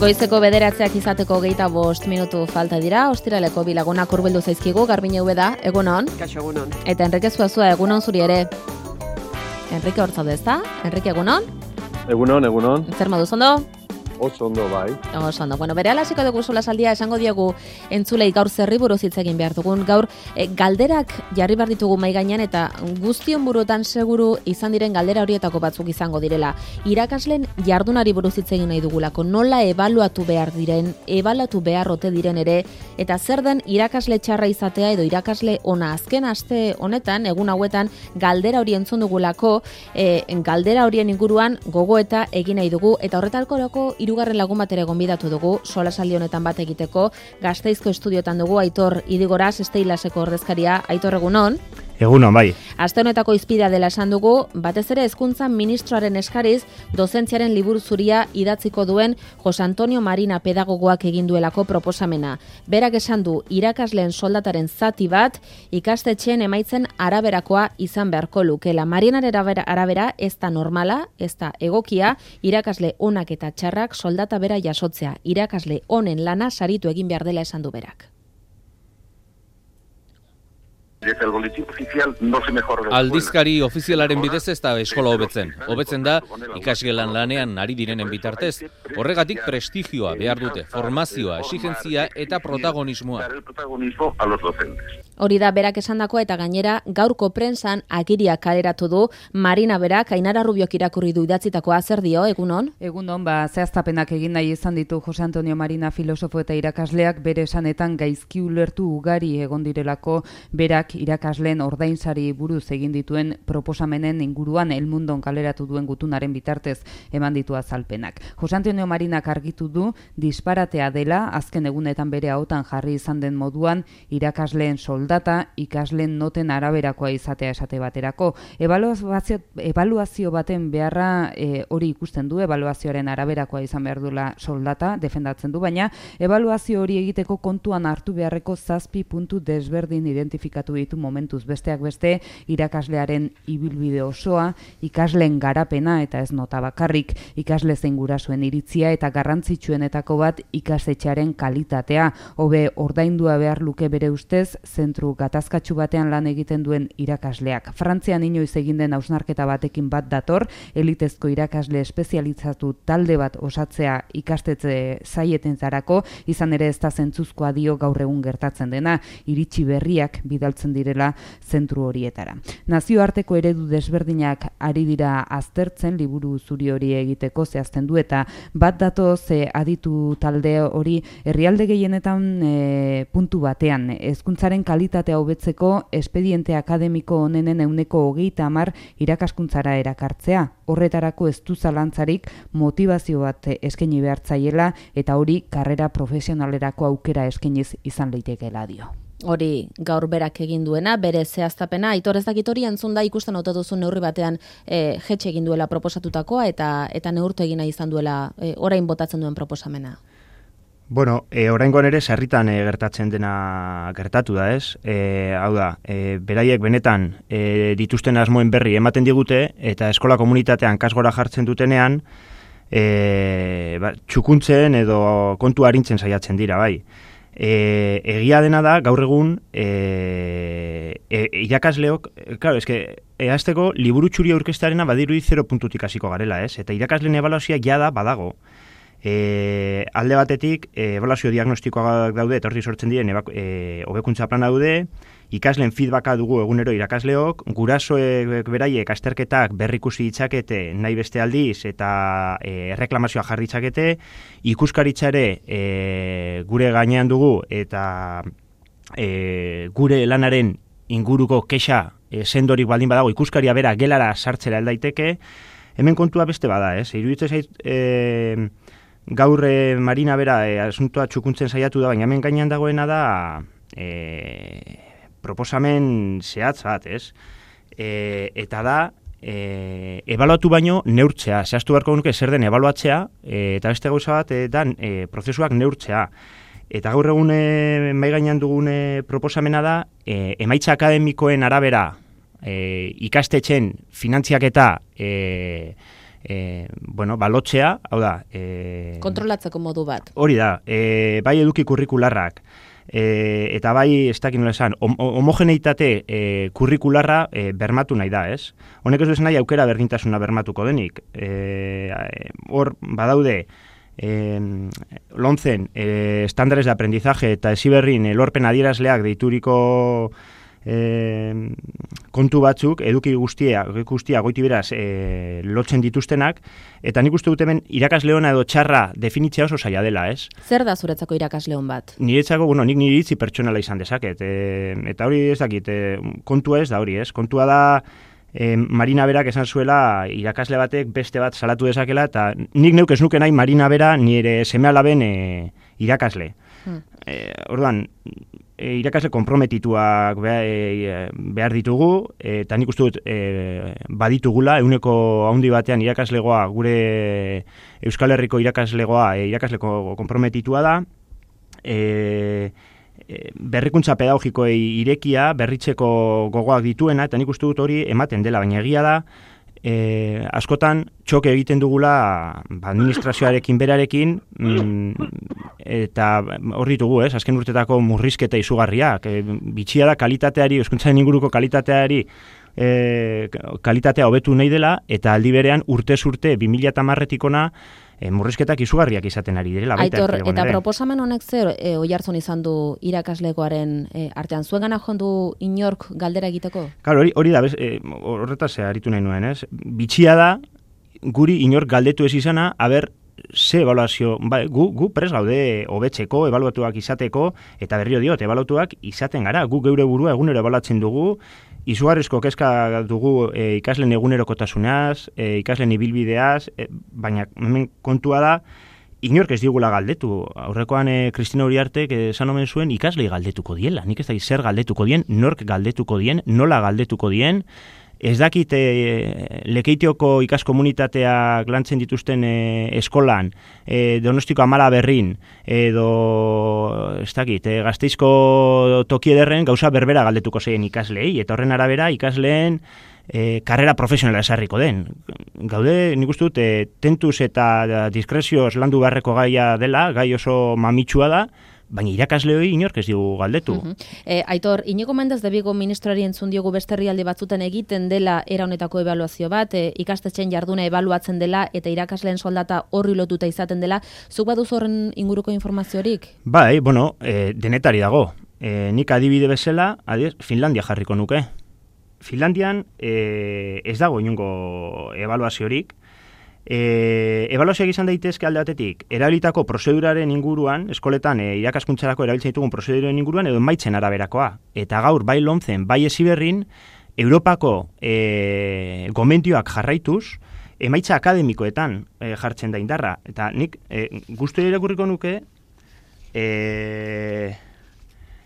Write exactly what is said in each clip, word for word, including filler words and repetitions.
Goizeko bederatzeak izateko geita bost minutu falta dira, ostiraleko bilagunak hurbildu zaizkigu, Garbine Ubeda, egunon. Kaixo, egunon. Eta Enrique Zuazua, egunon zuri ere. Enrique hortzaude ezta? Enrique, egunon? Egunon, egunon. Zer moduz ondo? Oso ondo, bai. Oso ondo. Bueno, bere alasiko dugu solasaldia esango diegu entzulei gaur zerri buruz hitz egin behar dugun. Gaur e, galderak jarri behar ditugu mahai gainean eta guztion buruetan seguru izan diren galdera horietako batzuk izango direla. Irakasleen jardunari buruz hitz egin nahi dugulako. Nola ebaluatu behar diren, ebaluatu behar ote diren ere, eta zer den irakasle txarra izatea edo irakasle ona. Azken aste honetan, egun hauetan, galdera hori entzun dugulako, e, galdera horien inguruan gogoeta egin nahi dugu, eta horretarkorako hirugarren lagun bat ere gonbidatu dugu, solasaldi honetan bat egiteko, Gasteizko estudiotan dugu Aitor Idigoraz, Esteilaseko ordezkaria. Aitor, egunon. Egunon, bai. Aste honetako hizpidea dela esan dugu, batez ere hezkuntza ministroaren eskariz, dozentziaren liburu zuria idatziko duen Jose Antonio Marina pedagogoak egin duelako proposamena. Berak esan du, irakasleen soldataren zati bat, ikastetxeen emaitzen araberakoa izan beharko lukela. Marinaren arabera ez da normala, ez da egokia, irakasle onak eta txarrak soldata bera jasotzea. Irakasle honen lana saritu egin behar dela esan du berak. Desde el boletín oficial no se mejora la Aldizkari ofizialaren bidez ez da eskola hobetzen. Hobetzen da ikasgelan lanean ari direnen bitartez. Horregatik prestigioa behar dute, formazioa, exigentzia eta protagonismoa. Hori da berak esandakoa eta gainera gaurko prentsan agiria kaleratu du Marina berak, Ainara Rubiok irakurri du idatzitakoa. Zer dio, egunon? Egunon, ba, zehaztapenak egin nahi izan ditu Jose Antonio Marina filosofo eta irakasleak, bere esanetan gaizki ulertu ugari egon direlako berak irakasleen ordainsari buruz egin dituen proposamenen inguruan El Mundon kaleratu duen gutunaren bitartez eman ditu azalpenak. Jose Antonio Marinak argitu du disparatea dela, azken egunetan bere ahotan jarri izan den moduan, irakasleen soldata ikasleen noten araberakoa izatea esate baterako. Ebaluazio, ebaluazio baten beharra e, hori ikusten du, ebaluazioaren araberakoa izan behar duela soldata, defendatzen du, baina ebaluazio hori egiteko kontuan hartu beharreko zazpi puntu desberdin identifikatu ditu momentuz, besteak beste irakaslearen ibilbide osoa, ikasleen garapena eta ez nota bakarrik, ikasle zein gurasoen iritzia eta garrantzitsuenetako bat ikastetxearen kalitatea, hobe ordaindua behar luke bere ustez zentru gatazkatsu batean lan egiten duen irakasleak. Frantzian inoiz egin den hausnarketa batekin bat dator, elitezko irakasle espezializatu talde bat osatzea ikastetxe zaietentzarako, izan ere ez da zentzuzkoa dio gaur egun gertatzen dena, iritsi berriak bidaltzen direla zentru horietara. Nazioarteko eredu desberdinak ari dira aztertzen liburu zuri hori egiteko zehazten du eta bat datoz e, aditu talde hori herrialde gehienetan e, puntu batean. Hezkuntzaren kalitatea hobetzeko espediente akademiko honenen ehuneko hogeita hamar irakaskuntzara erakartzea. Horretarako ez du zalantzarik motivazio bat eskaini behartzaiela eta hori karrera profesionalerako aukera eskainiz izan leitekeela dio. Hori gaur berak egin duena, bere zehaztapena, Aitor ez dakit hori entzun da ikusten ote duzu neurri batean e, jetxe egin duela proposatutakoa eta eta neurtu egina izan duela e, orain botatzen duen proposamena. Bueno, e, oraingoan ere sarritan e, gertatzen dena gertatu da, ez? E, hau da, e, beraiek benetan e, dituzten asmoen berri ematen digute eta eskola komunitatean kasgora jartzen dutenean e, ba, txukuntzen edo kontu arintzen saiatzen dira, bai. E, egia dena da, gaur egun e, e, irakasleok, claro, eske, ehazteko liburu txuri aurkeztearena badirudi zero puntutik hasiko garela, ez? Eta irakasleen ebaluazioa jada badago. E, alde batetik, e, ebaluazio diagnostikoak daude, eta horri sortzen diren e, hobekuntza plana daude, ikasleen feedbacka dugu egunero irakasleok, gurasoek beraiek azterketak berrikusi ditzakete nahi beste aldiz eta e, erreklamazioa jarri ditzakete, ikuskaritza ere e, gure gainean dugu eta e, gure lanaren inguruko kexa e, sendorik baldin badago ikuskaria bera gelara sartzera aldaiteke, hemen kontua beste bada, ez? Iruditzen zait e, gaur e, Marina bera e, asuntoa txukuntzen saiatu da, baina hemen gainean dagoena da e, proposamen zehatz bat, ez? E, eta da, e, ebaluatu baino neurtzea, zehaztu beharko nuke zer den ebaluatzea, e, eta beste gauza bat e, dan e, prozesuak neurtzea. Eta gaur egun e, mai gainean dugun e, proposamena da, e, emaitza akademikoen arabera e, ikastetxen finantziaketa e, e, bueno, balotzea, hau da... E, kontrolatzeko modu bat. Hori da, e, bai eduki kurrikularrak, e, eta bai, ez dakit nola esan, hom homogeneitate e, kurrikularra e, bermatu nahi da, ez? Honek ez du nahi aukera berdintasuna bermatuko denik. Hor, e, badaude, E, lontzen e, estándares de aprendizaje eta Heziberrin e, lorpen adierazleak deituriko e, kontu batzuk eduki guztia, guztia goiti beraz e, lotzen dituztenak, eta nik uste dut hemen irakasle ona edo txarra definitzea oso zaila dela, ez? Zer da zuretzako irakasle on bat? Niretzako, bueno, nik nire iritzi pertsonala izan dezaket, e, eta hori ez dakit, e, kontua ez da hori, ez? Kontua da E, Marina Berak esan zuela irakasle batek beste bat salatu dezakela, eta nik neuk ez nuke nahi Marina Bera nire seme-alaben e, irakasle. Hmm. E, orduan, e, irakasle konprometituak behar, e, behar ditugu, eta nik uste dut e, baditugula, euneko handi batean irakaslegoa, gure Euskal Herriko irakaslegoa, e, irakasleko konprometitua da, e, berrikuntza pedagogikoei irekia, berritzeko gogoak dituena, eta nik uste dut hori ematen dela, baina egia da, e, askotan txoke egiten dugula ba, administrazioarekin berarekin, mm, eta hor ditugu, ez, azken urtetako murrizketa izugarriak, e, bitxia da kalitateari, hezkuntzaren inguruko kalitateari, e, kalitatea hobetu nahi dela, eta aldi berean urtez urte bi mila hamarretik ona E, murrizketak izugarriak izaten ari direla. Aitor, eta proposamen honek zer e, oihartzun izan du irakaslegoaren e, artean? Zuen gana joan du inork galdera egiteko? Claro, hori, hori da, bez, e, horretaz aritu nahi nuen, ez? Bitxia da, guri inork galdetu ez izana, aber, ze evaluazio, ba, gu, gu pres gaude hobetzeko, ebaluatuak izateko, eta berrio diot, ebaluatuak izaten gara, gu geure burua egunero ebaluatzen dugu, izugarrizko kezka dugu e, ikasleen egunerokotasunaz, e, ikasleen ibilbideaz, e, baina hemen kontua da, inork ez digula galdetu. Aurrekoan e, Kristina Uriartek esan omen zuen ikaslei galdetuko diela. Nik ez da zer galdetuko dien, nork galdetuko dien, nola galdetuko dien. Ez dakit e, Lekeitioko ikaskomunitateak lantzen dituzten e, eskolan, e, Donostiko Amala Berrin, edo ez dakit, e, Gasteizko toki ederren gauza berbera galdetuko zeien ikaslei, eta horren arabera ikasleen e, karrera profesionala esarriko den. Gaude, nik uste dut, e, tentuz eta diskrezioz landu beharreko gaia dela, gai oso mamitsua da, baina irakasle hori inork ez digu galdetu. Uh-huh. e, Aitor, Iñigo Mendez de Vigo ministroari entzun diogu beste herrialde batzuten egiten dela era honetako ebaluazio bat, e, ikastetxeen jarduna ebaluatzen dela eta irakasleen soldata horri lotuta izaten dela. Zuk baduz horren inguruko informaziorik? Bai, bueno, e, denetari dago. E, nik adibide bezala, adiz, Finlandia jarriko nuke. Finlandian e, ez dago inungo ebaluaziorik. E, ebaluazioak izan daitezke alde batetik, erabilitako prozeduraren inguruan, eskoletan e, irakaskuntzarako erabiltzen ditugun prozeduraren inguruan, edo emaitzen araberakoa. Eta gaur, bai lontzen, bai Heziberrin, Europako e, gomendioak jarraituz, emaitza akademikoetan e, jartzen da indarra. Eta nik e, guztu irakurriko nuke, e,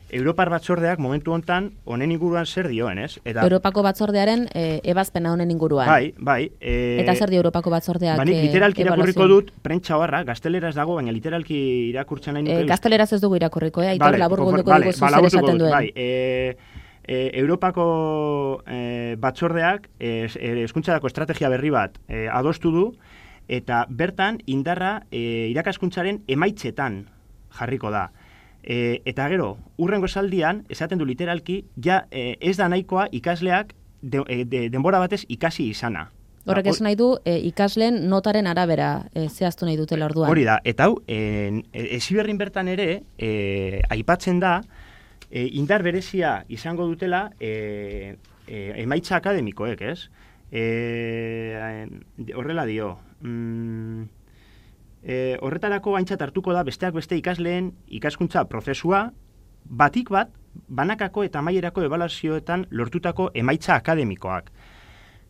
Europar batzordeak momentu hontan honen inguruan zer dioen, ez? Eta Europako batzordearen e, ebazpena honen inguruan. Bai, bai. E, eta zer dio Europako batzordeak? Ba, nik literalki irakurriko dut, prentsa horra, gazteleraz dago, baina literalki irakurtzen nahi nuke. E, gazteleraz ez dugu irakurriko, eh? Aitor, vale, labur gulduko vale, dugu zuzer vale, esaten duen. Bai, e, e, Europako e, batzordeak hezkuntzarako e, estrategia berri bat e, adostu du, eta bertan indarra e, irakaskuntzaren emaitzetan jarriko da. E, eta gero, urrengo esaldian, esaten du literalki, ja e, ez da nahikoa ikasleak de, de, denbora batez ikasi izana. Horrek ez nahi du, e, ikasleen notaren arabera e, zehaztu nahi dutela orduan. Hori da, eta hau, e, Heziberrin bertan ere, e, aipatzen da, e, indar berezia izango dutela e, e, emaitza akademikoek, ez? E, horrela dio, mm, E, horretarako aintzat hartuko da besteak beste ikasleen ikaskuntza prozesua batik bat banakako eta amaierako ebaluazioetan lortutako emaitza akademikoak.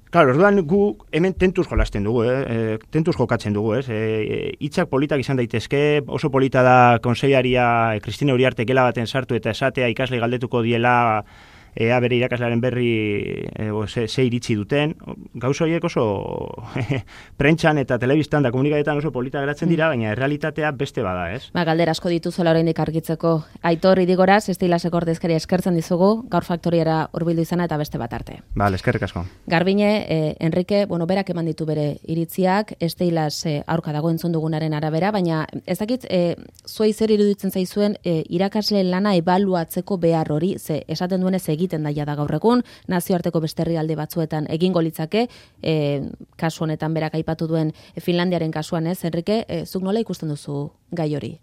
Claro, orduan gu hemen tentuz jolasten dugu, eh? tentuz jokatzen dugu, ez? E, hitzak politak izan daitezke, oso polita da konseilaria Kristina Uriarte gela baten sartu eta esatea ikasle galdetuko diela ea bere irakaslearen berri e, o, ze, ze iritzi duten, gauza horiek oso prentxan eta telebistan da komunikadetan oso polita geratzen dira, baina errealitatea beste bada, ez? Ba, galdera asko dituzuela oraindik argitzeko. Aitor Idigoraz, Estilaseko ordezkaria eskertzen dizugu, gaur faktoriara hurbildu izana eta beste bat arte. Ba, eskerrik asko. Garbine, eh, Enrique, bueno, berak eman ditu bere iritziak, Estilas eh, aurka dago entzun dugunaren arabera, baina ez dakit, eh, zuei zer iruditzen zaizuen eh, irakasle lana ebaluatzeko behar hori, ze esaten duenez egiten daia da gaur egun, nazioarteko beste herrialde batzuetan egingo litzake, eh, kasu honetan berak aipatu duen Finlandiaren kasuan, ez, Enrique, eh, zuk nola ikusten duzu gai hori?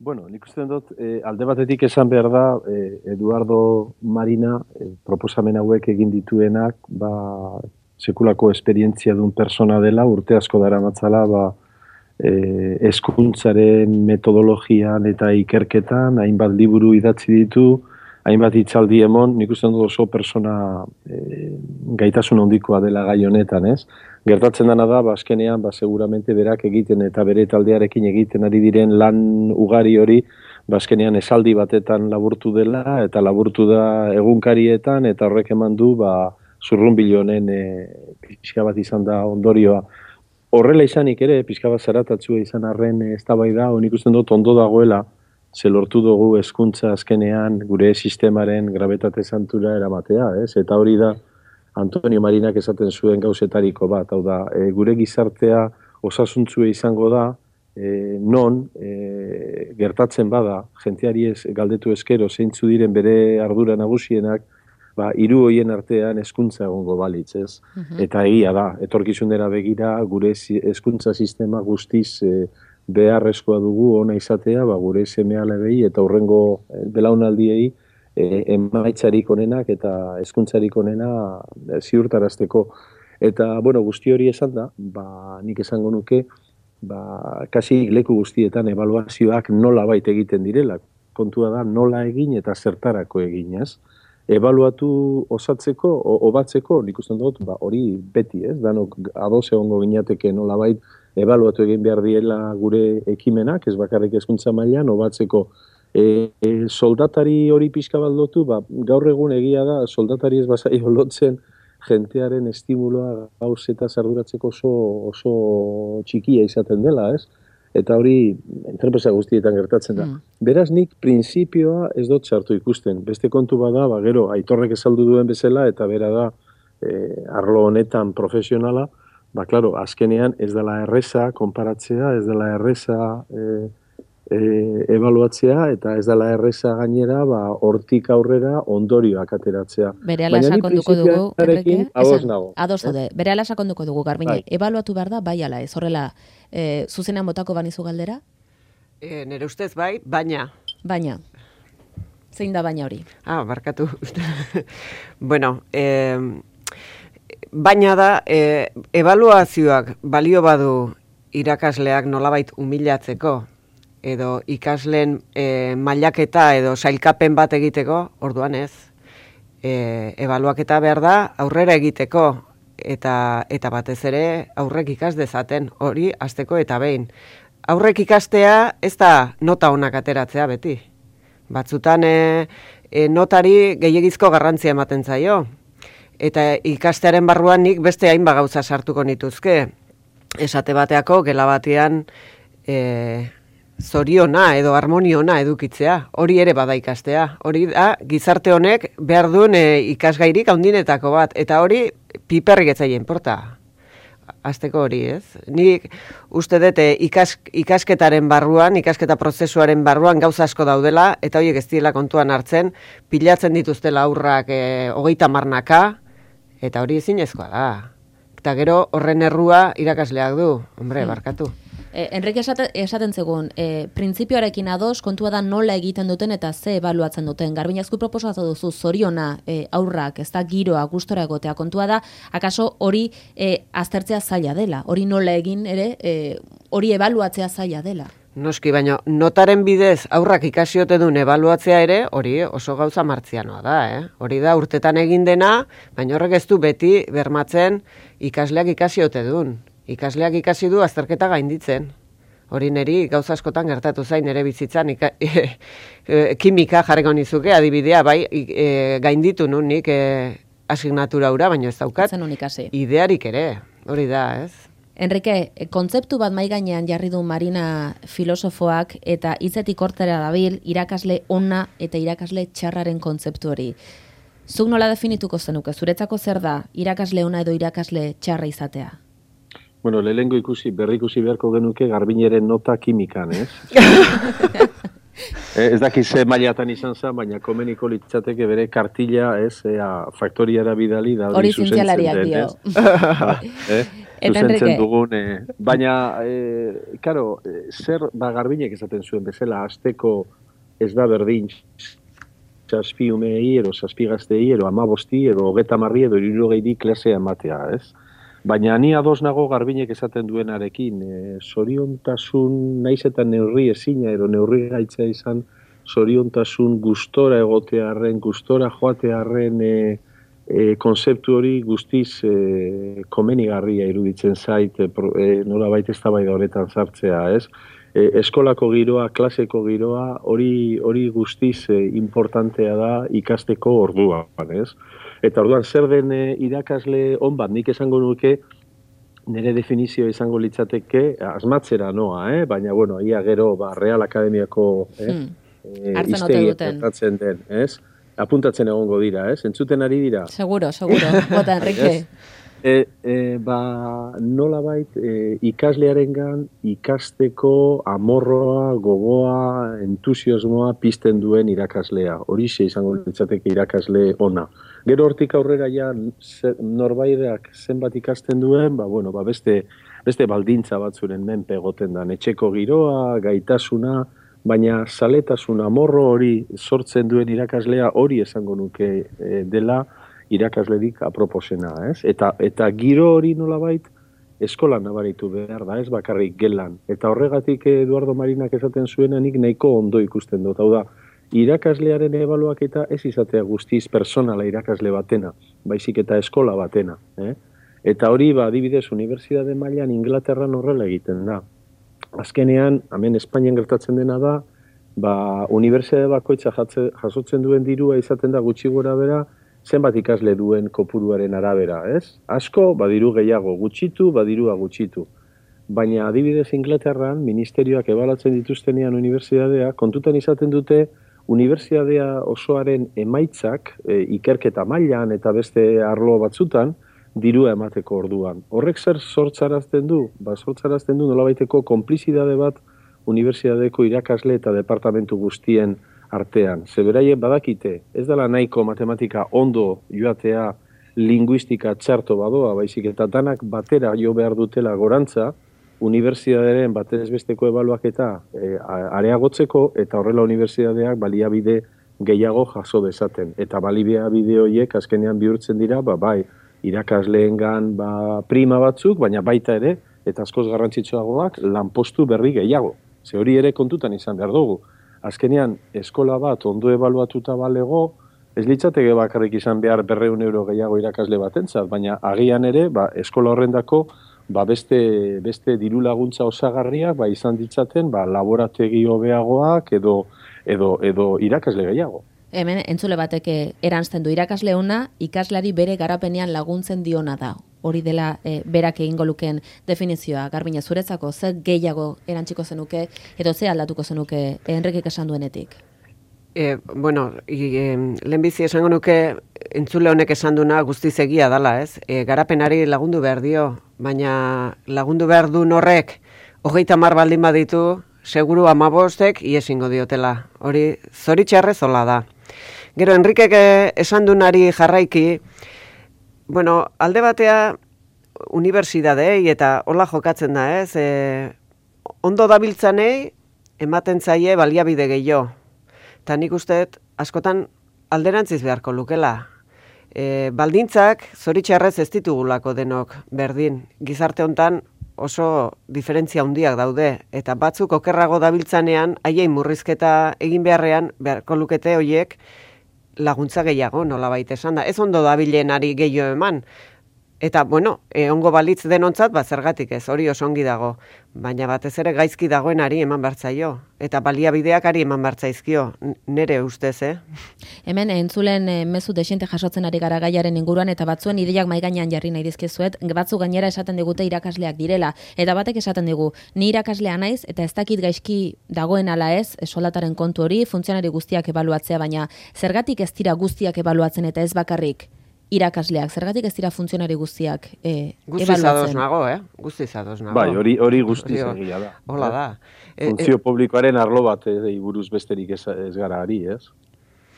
Bueno, nik uste dut, eh, alde batetik esan behar da, eh, Eduardo Marina eh, proposamen hauek egin dituenak, ba, sekulako esperientzia duen persona dela, urte asko dara matzala, ba, eh, eskuntzaren metodologian eta ikerketan, hainbat liburu idatzi ditu, hainbat hitzaldi emon, nik uste dut oso persona eh, gaitasun handikoa dela gai honetan, ez? Gertatzen dana da, ba, azkenean, ba, seguramente berak egiten eta bere taldearekin egiten ari diren lan ugari hori, ba, azkenean esaldi batetan laburtu dela, eta laburtu da egunkarietan, eta horrek eman du, ba, zurrunbilo honen e, pixka bat izan da ondorioa. Horrela izanik ere, pixka bat zaratatzua izan arren eztabaida, honik usten dut ondo dagoela, ze lortu dugu hezkuntza azkenean gure sistemaren grabetate santura eramatea, ez? Eta hori da, Antonio Marinak esaten zuen gauzetariko bat, hau da, e, gure gizartea osasuntzua izango da, e, non e, gertatzen bada, jenteari ez galdetu eskero zeintzu diren bere ardura nagusienak, ba, hiru hoien artean hezkuntza egongo balitz, ez? Uh-huh. Eta egia da, etorkizunera begira gure hezkuntza sistema guztiz e, beharrezkoa dugu ona izatea, ba, gure seme-alabei eta hurrengo belaunaldiei E, emaitzarik onenak eta hezkuntzarik onena e, ziurtarazteko. Eta, bueno, guzti hori esan da, ba, nik esango nuke, ba, kasi leku guztietan ebaluazioak nola baita egiten direla. Kontua da nola egin eta zertarako egin, ez? Ebaluatu osatzeko, obatzeko, nik usten dut, ba, hori beti, ez? Danok ados egongo ginateke nola bait ebaluatu egin behar diela gure ekimenak, ez bakarrik hezkuntza mailan, obatzeko. E, e, soldatari hori pixka baldotu, ba, gaur egun egia da, soldatari ez bazaio lotzen jentearen estimuloa gauz eta zarduratzeko oso, oso txikia izaten dela, ez? Eta hori entrepresa guztietan gertatzen da. Mm. Beraz nik printzipioa ez dut sartu ikusten. Beste kontu bada, ba, gero, Aitorrek esaldu duen bezala, eta bera da, e, arlo honetan profesionala, ba, klaro, azkenean ez dela erreza konparatzea, ez dela erreza E, E, ebaluatzea eta ez dela erreza gainera, ba, hortik aurrera ondorioak ateratzea. Berehala sakonduko dugu, Enrique, ados zaude, eh? berehala sakonduko dugu, Garbine, bai. Ebaluatu behar da, bai ala ez, horrela, e, zuzenean botako banizu galdera? E, nere ustez bai, baina. Baina. Zein da baina hori? Ah, barkatu. Bueno, e, baina da, e, ebaluazioak balio badu irakasleak nolabait humilatzeko, edo ikasleen e, mailaketa edo sailkapen bat egiteko, orduan ez. E, ebaluaketa behar da aurrera egiteko, eta eta batez ere aurrek ikas dezaten, hori hasteko eta behin. Aurrek ikastea ez da nota onak ateratzea beti. Batzutan e, e, notari gehiegizko garrantzia ematen zaio. Eta ikastearen barruan nik beste hainbat gauza sartuko nituzke. Esate bateako gela batean e, zoriona edo harmoniona edukitzea, hori ere bada ikastea. Hori da, gizarte honek behar duen e, ikasgairik handinetako bat, eta hori piperrik etzaien porta. Azteko hori, ez? Nik uste dute ikas, ikasketaren barruan, ikasketa prozesuaren barruan gauza asko daudela, eta horiek ez direla kontuan hartzen, pilatzen dituztela aurrak e, hogeita marnaka, eta hori ezinezkoa da. Eta gero horren errua irakasleak du, hombre, barkatu. Eh, Enrique esaten, esaten zegoen, eh, printzipioarekin ados, kontua da nola egiten duten eta ze ebaluatzen duten. Garbinazku proposatu duzu zoriona eh, aurrak, ez da giroa, gustora egotea. Kontua da, akaso hori eh, aztertzea zaila dela, hori nola egin ere, eh, hori ebaluatzea zaila dela. Noski, baina notaren bidez aurrak ikasiote duen ebaluatzea ere, hori oso gauza martzianoa da, eh? Hori da urtetan egin dena, baina horrek ez du beti bermatzen ikasleak ikasiote duen. Ikasleak ikasi du azterketa gainditzen. Hori niri gauza askotan gertatu zain ere bizitzan, ika, e, e, kimika jarriko nizuke, adibidea, bai, e, gainditu nun nik e, asignatura ura, baina ez daukat. Zen unikasi. Idearik ere, hori da, ez? Enrique, kontzeptu bat mai gainean jarri du Marina filosofoak eta hitzetik hortera dabil irakasle ona eta irakasle txarraren kontzeptu hori. Zuk nola definituko zenuke? Zuretzako zer da irakasle ona edo irakasle txarra izatea? Bueno, lehengo ikusi, berri ikusi beharko genuke Garbineren nota kimikan, ez? Ez dakiz ze mailatan izan zen, baina komeniko litzateke bere kartilla, ez, ea, faktoriara bidali da hori zientzialariak dio. Ba, eh? Zuzentzen dugun, eh, baina, eh, karo, eh, zer, ba, Garbinek esaten zuen bezala, azteko ez da berdin, zazpi umei, ero zazpi gaztei, ero amabosti, ero hogeta marri, edo hirurogeiri klasea ematea, ez? Baina ni ados nago Garbinek esaten duenarekin, e, zoriontasun naiz eta neurri ezina, ero neurri gaitza izan, zoriontasun gustora egotearren, gustora joatearren e, e, konzeptu hori guztiz e, komenigarria iruditzen zait, e, e, nola baita eztabaida horretan sartzea, ez? E, eskolako giroa, klaseko giroa, hori hori guztiz e, importantea da ikasteko orduan, ez? Eta orduan zer den e, irakasle on bat, nik esango nuke, nire definizio izango litzateke, asmatzera noa, eh? Baina, bueno, ia gero, ba, Real Akademiako eh? Hmm. E, iztegiak gertatzen den, ez? Apuntatzen egongo dira, ez? Entzuten ari dira? Seguro, seguro, bota, Enrique. E, e, ba, nolabait e, ikaslearengan ikasteko amorroa, gogoa, entusiasmoa pizten duen irakaslea. Horixe izango litzateke irakasle ona. Gero hortik aurrera ja norbairak zenbat ikasten duen, ba, bueno, ba, beste, beste baldintza batzuren menpe egoten da. Etxeko giroa, gaitasuna, baina zaletasun amorro hori sortzen duen irakaslea hori esango nuke e, dela irakaslerik aproposena, ez? Eta, eta giro hori nolabait eskolan nabaritu behar da, ez bakarrik gelan. Eta horregatik Eduardo Marinak esaten zuena nik nahiko ondo ikusten dut. Hau da, irakaslearen ebaluaketa ez izatea guztiz personala irakasle batena, baizik eta eskola batena. Eh? Eta hori, ba, adibidez, unibertsitate mailan Inglaterran horrela egiten da. Azkenean, hemen Espainian gertatzen dena da, ba, unibertsitate bakoitza jasotzen duen dirua izaten da gutxi gora bera, zenbat ikasle duen kopuruaren arabera, ez? Asko, badiru gehiago gutxitu, badirua gutxitu. Baina adibidez Inglaterran, ministerioak ebalatzen dituztenean unibertsitatea, kontutan izaten dute unibertsitatea osoaren emaitzak, e, ikerketa mailan eta beste arlo batzutan, dirua emateko orduan. Horrek zer sortzarazten du? Ba, sortzarazten du nolabaiteko konplizidade bat unibertsitateko irakasle eta departamentu guztien artean. Zeberaie badakite, ez dela nahiko matematika ondo joatea linguistika txarto badoa, baizik eta danak batera jo behar dutela gorantza, unibertsitatearen batez besteko ebaluaketa e, areagotzeko eta horrela unibertsitateak baliabide gehiago jaso dezaten. Eta baliabide horiek azkenean bihurtzen dira, ba, bai, irakasleengan ba, prima batzuk, baina baita ere, eta askoz garrantzitsuagoak, lanpostu berri gehiago. Ze hori ere kontutan izan behar dugu. Azkenean, eskola bat ondo ebaluatuta balego, ez litzateke bakarrik izan behar berreun euro gehiago irakasle batentzat, baina agian ere, ba, eskola horrendako ba, beste, beste diru laguntza osagarriak ba, izan ditzaten ba, laborategi hobeagoak edo, edo, edo irakasle gehiago. Hemen, entzule bateke erantzten du irakasle ona, ikaslari bere garapenean laguntzen diona da. Hori dela e, berak egingo lukeen definizioa. Garbina, zuretzako, zer gehiago erantziko zenuke, edo ze aldatuko zenuke Enrikek esan duenetik? E, bueno, e, lehenbizi esango nuke entzule honek esan duna guztiz egia dala, ez? E, garapenari lagundu behar dio, baina lagundu behar du horrek hogeita hamar baldin baditu, seguru amabostek iesingo diotela. Hori zoritxarrez hola da. Gero, Enrikek esan dunari jarraiki, bueno, alde batea unibertsitatei eta hola jokatzen da, ez? E, ondo dabiltzanei ematen zaie baliabide gehiago. Eta nik usteet askotan alderantziz beharko lukela. E, baldintzak zoritxarrez ez ditugulako denok berdin. Gizarte hontan oso diferentzia handiak daude. Eta batzuk okerrago dabiltzanean, haiei murrizketa egin beharrean beharko lukete hoiek laguntza gehiago, nolabait esan da. Ez ondo dabilenari gehiago eman. Eta, bueno, egongo balitz denontzat, ba, zergatik ez, hori oso ongi dago. Baina batez ere gaizki dagoenari eman bartzaio. Eta baliabideak ari eman bartzaizkio, nere ustez, eh? Hemen, entzulen e, mezu desente jasotzen ari gara gaiaren inguruan, eta batzuen ideiak mahai gainean jarri nahi dizkizuet, batzu gainera esaten digute irakasleak direla. Eta batek esaten digu, ni irakaslea naiz, eta ez dakit gaizki dagoen ala ez, soldataren kontu hori, funtzionari guztiak ebaluatzea, baina zergatik ez dira guztiak ebaluatzen eta ez bakarrik irakasleak, zergatik ez dira funtzionari guztiak e, Guztiz ebaluatzen. ados nago, eh? Guztiz ados nago. Bai, hori hori guztiz egia da. Hola da. Funtzio publikoaren arlo bat eh, buruz besterik ez, ez gara ari, ez?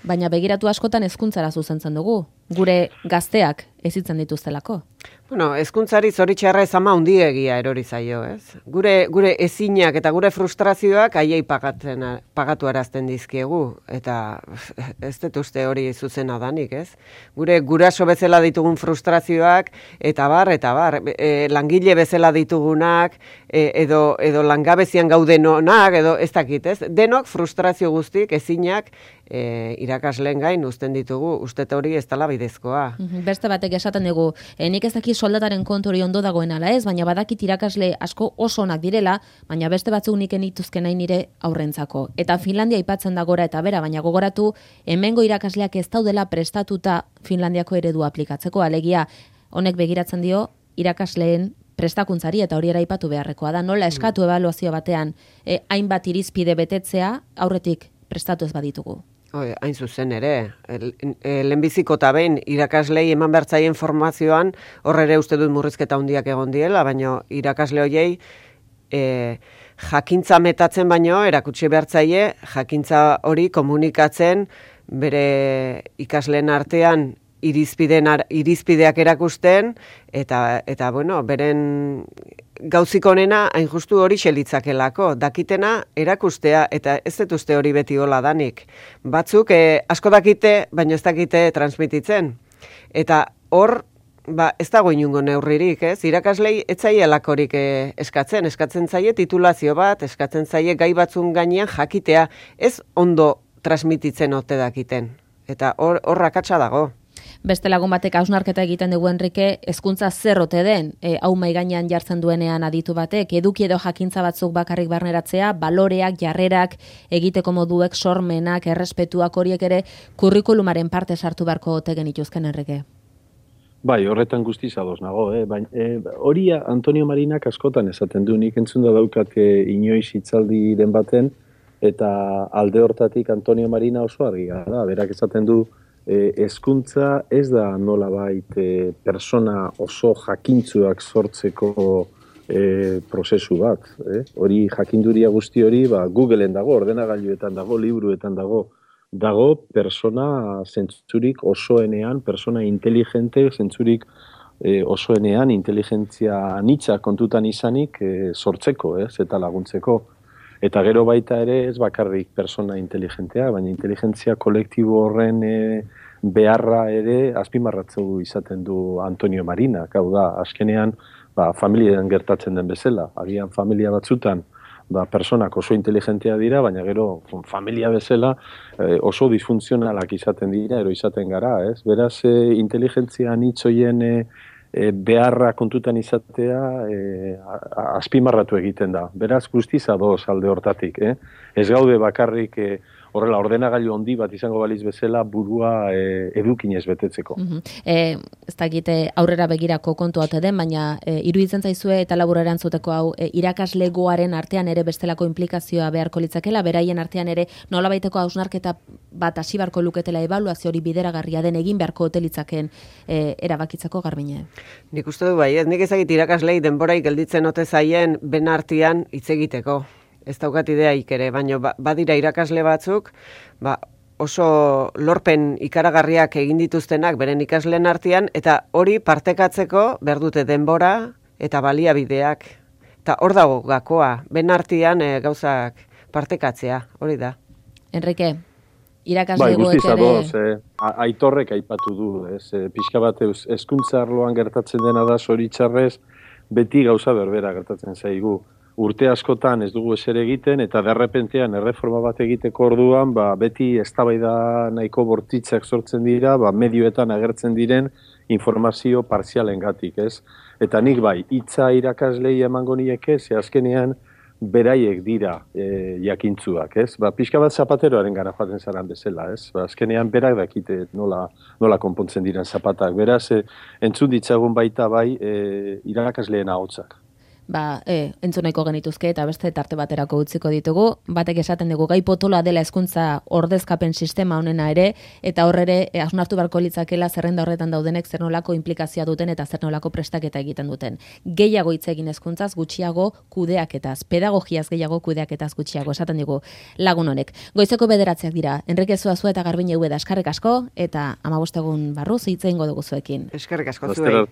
Baina begiratu askotan hezkuntzara zuzentzen dugu, gure gazteak ezitzen dituztelako. Bueno, hezkuntzari zoritxarra ez ama handiegia erori zaio, ez? Gure, gure ezinak eta gure frustrazioak haiei pagatzen, pagatu arazten dizkiegu, eta ez dut uste hori zuzena danik, ez? Gure guraso bezala ditugun frustrazioak, eta bar, eta bar, e, langile bezala ditugunak, e, edo, edo langabezian gaudenonak, edo ez dakit, ez? Denok frustrazio guztik, ezinak, e, irakasleen gain uzten ditugu, uste hori ez dela bidezkoa. Beste batek esaten dugu, e, nik ez daki soldataren kontu hori ondo dagoen ala ez, baina badakit irakasle asko oso onak direla, baina beste batzuk nik enituzke nahi nire aurrentzako. Eta Finlandia aipatzen da gora eta bera, baina gogoratu, hemengo irakasleak ez daudela prestatuta Finlandiako eredua aplikatzeko, alegia honek begiratzen dio irakasleen prestakuntzari eta hori eraipatu beharrekoa da, nola eskatu ebaluazio batean e, hainbat irizpide betetzea aurretik prestatu ez baditugu. Oi, hain zuzen ere, lehenbiziko eta behin irakaslei eman bertzaien formazioan, horre ere uste dut murrizketa handiak egon diela, baina irakasle horiei e, jakintza metatzen baino, erakutsi bertzaie, jakintza hori komunikatzen bere ikasleen artean irizpideen, irizpideak erakusten, eta, eta bueno, beren gauzik onena hain justu hori xelitzakelako, dakitena erakustea, eta ez dut uste hori beti hola danik. Batzuk eh, asko dakite, baina ez dakite transmititzen. Eta hor, ba, ez dago inungo neurririk, ez? Irakaslei ez zaielakorik eh, eskatzen, eskatzen zaie titulazio bat, eskatzen zaie gai batzun gainean jakitea, ez ondo transmititzen ote dakiten. Eta hor, hor akatsa dago. Beste lagun batek hausnarketa egiten dugu Enrike, hezkuntza zer ote den, e, hau mahai gainean jartzen duenean aditu batek, eduki edo jakintza batzuk bakarrik barneratzea, baloreak, jarrerak, egiteko moduek, sormenak, errespetuak horiek ere, kurrikulumaren parte sartu beharko ote genituzken Enrike. Bai, horretan guztiz ados nago, eh? Baina eh, hori Antonio Marinak askotan esaten du, nik entzun da daukat eh, inoiz hitzaldi den baten, eta alde hortatik Antonio Marina oso argia da, berak esaten du, hezkuntza e, ez da nolabait e, persona oso jakintzuak sortzeko e, prozesu bat. Eh? Hori jakinduria guzti hori ba, Googleen dago, ordenagailuetan dago, libruetan dago, dago persona zentzurik osoenean, persona inteligente zentzurik e, osoenean, inteligentzia anitza kontutan izanik e, sortzeko, ez, eta laguntzeko. Eta gero baita ere ez bakarrik persona inteligentea, baina inteligentzia kolektibo horren e, beharra ere azpimarratzu izaten du Antonio Marinak. Hau da, azkenean ba, familian gertatzen den bezala. Agian familia batzutan ba, personak oso inteligentea dira, baina gero familia bezala e, oso disfuntzionalak izaten dira, ero izaten gara. Ez? Beraz, e, inteligentzia anitzoien e, E, beharra kontutan izatea e, azpimarratu egiten da. Beraz, guztiz adoz alde hortatik. Eh? Ez gaude bakarrik e, horrela ordenagailu handi bat izango baliz bezala burua e, edukinez betetzeko. Mm-hmm. e, ez dakite aurrera begirako kontu ote den, baina e, iruditzen zaizue eta labur erantzuteko hau e, irakaslegoaren artean ere bestelako implikazioa beharko litzakela, beraien artean ere nolabaiteko hausnarketa bat hasi beharko luketela ebaluazio hori bideragarria den egin beharko ote litzaken e, erabakitzako Garbine. Nik uste du bai, ez nik ezagit irakaslei denborai gelditzen ote zaien ben artean hitz egiteko. Ez daukat ideaik ere, baina badira irakasle batzuk, ba, oso lorpen ikaragarriak egin dituztenak beren ikasleen artean, eta hori partekatzeko behar dute denbora eta baliabideak. Eta hor dago gakoa, ben artean e, gauzak partekatzea, hori da. Enrique, irakasle bai, egoek ere... Adoz, eh, aitorrek aipatu du, ez, eh, pixka bat hezkuntza arloan gertatzen dena da zoritxarrez, beti gauza berbera gertatzen zaigu. Urte askotan ez dugu eser egiten, eta derrepentean erreforma bat egiteko orduan, ba, beti eztabaida nahiko bortitzak sortzen dira, ba, medioetan agertzen diren informazio partzialengatik, ez? Eta nik bai, hitza irakaslei emango nieke, ze azkenean beraiek dira e, jakintzuak, ez? Ba, pixka bat zapateroaren gara joaten zaran bezala, ez? Ba, azkenean berak dakite nola, nola konpontzen diren zapatak. Beraz, e, entzun ditzagun baita bai e, irakasleen ahotsak. Ba, e, entzuneko genituzke eta beste tarte baterako utziko ditugu. Batek esaten dugu gai potola dela hezkuntza ordezkapen sistema honena ere, eta horrere e, hausnartu beharko litzakela zerrenda horretan daudenek zer nolako inplikazioa duten eta zer nolako prestaketa egiten duten. Gehiago hitz egin hezkuntzaz, gutxiago kudeaketaz, pedagogiaz gehiago kudeaketaz gutxiago, esaten digu lagun honek. Goizeko bederatziak dira, Enrique Zuazua eta Garbine Ubeda eskerrik asko, eta hamabost egun barruz hitz egingo dugu zuekin. Eskerrik asko zuei.